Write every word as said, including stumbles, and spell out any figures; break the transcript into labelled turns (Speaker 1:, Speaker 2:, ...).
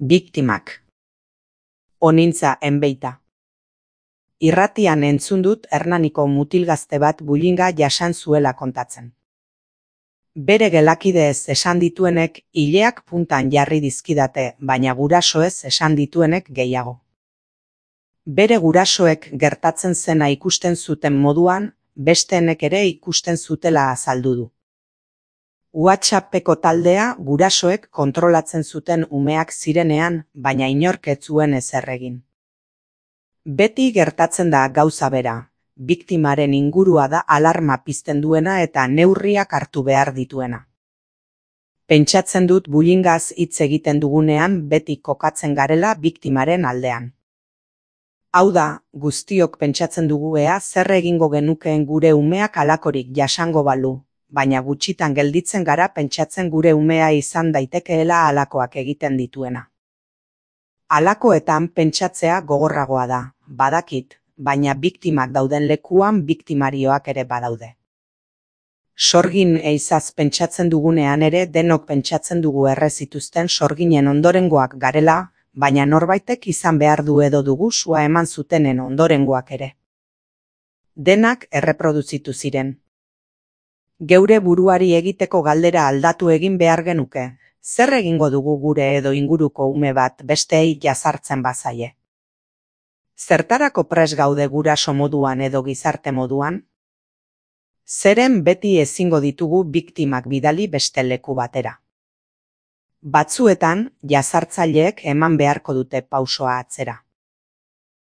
Speaker 1: Biktimak. Onintza enbeita. Irratian entzun dut Hernaniko mutilgazte bat bullyinga jasan zuela kontatzen. Bere gelakideez esan dituenek ileak puntan jarri dizkidate, baina gurasoez esan dituenek gehiago. Bere gurasoek gertatzen zena ikusten zuten moduan, besteenek ere ikusten zutela azaldu du. WhatsAppeko taldea gurasoek kontrolatzen zuten umeak zirenean, baina inork ez zuen ezer egin. Beti gertatzen da gauza bera, biktimaren ingurua da alarma pizten duena eta neurriak hartu behar dituena. Pentsatzen dut bullyingaz hitz egiten dugunean beti kokatzen garela biktimaren aldean. Hau da, guztiok pentsatzen dugu ea zer egingo genukeen gure umeak halakorik jasango balu, baina gutxitan gelditzen gara pentsatzen gure umea izan daitekeela halakoak egiten dituena. Halakoetan pentsatzea gogorragoa da, badakit, baina biktimak dauden lekuan biktimarioak ere badaude. Sorgin eizaz pentsatzen dugunean ere denok pentsatzen dugu erre zituzten sorginen ondorengoak garela, baina norbaitek izan behar du edo dugu sua eman zutenen ondorengoak ere. Denak erreproduzitu ziren. Geure buruari egiteko galdera aldatu egin behar genuke, zer egingo dugu gure edo inguruko ume bat besteei jazartzen bazaie? Zertarako pres gaude guraso moduan edo gizarte moduan? Zeren beti ezingo ditugu biktimak bidali beste leku batera. Batzuetan, jazartzaileek eman beharko dute pausoa atzera.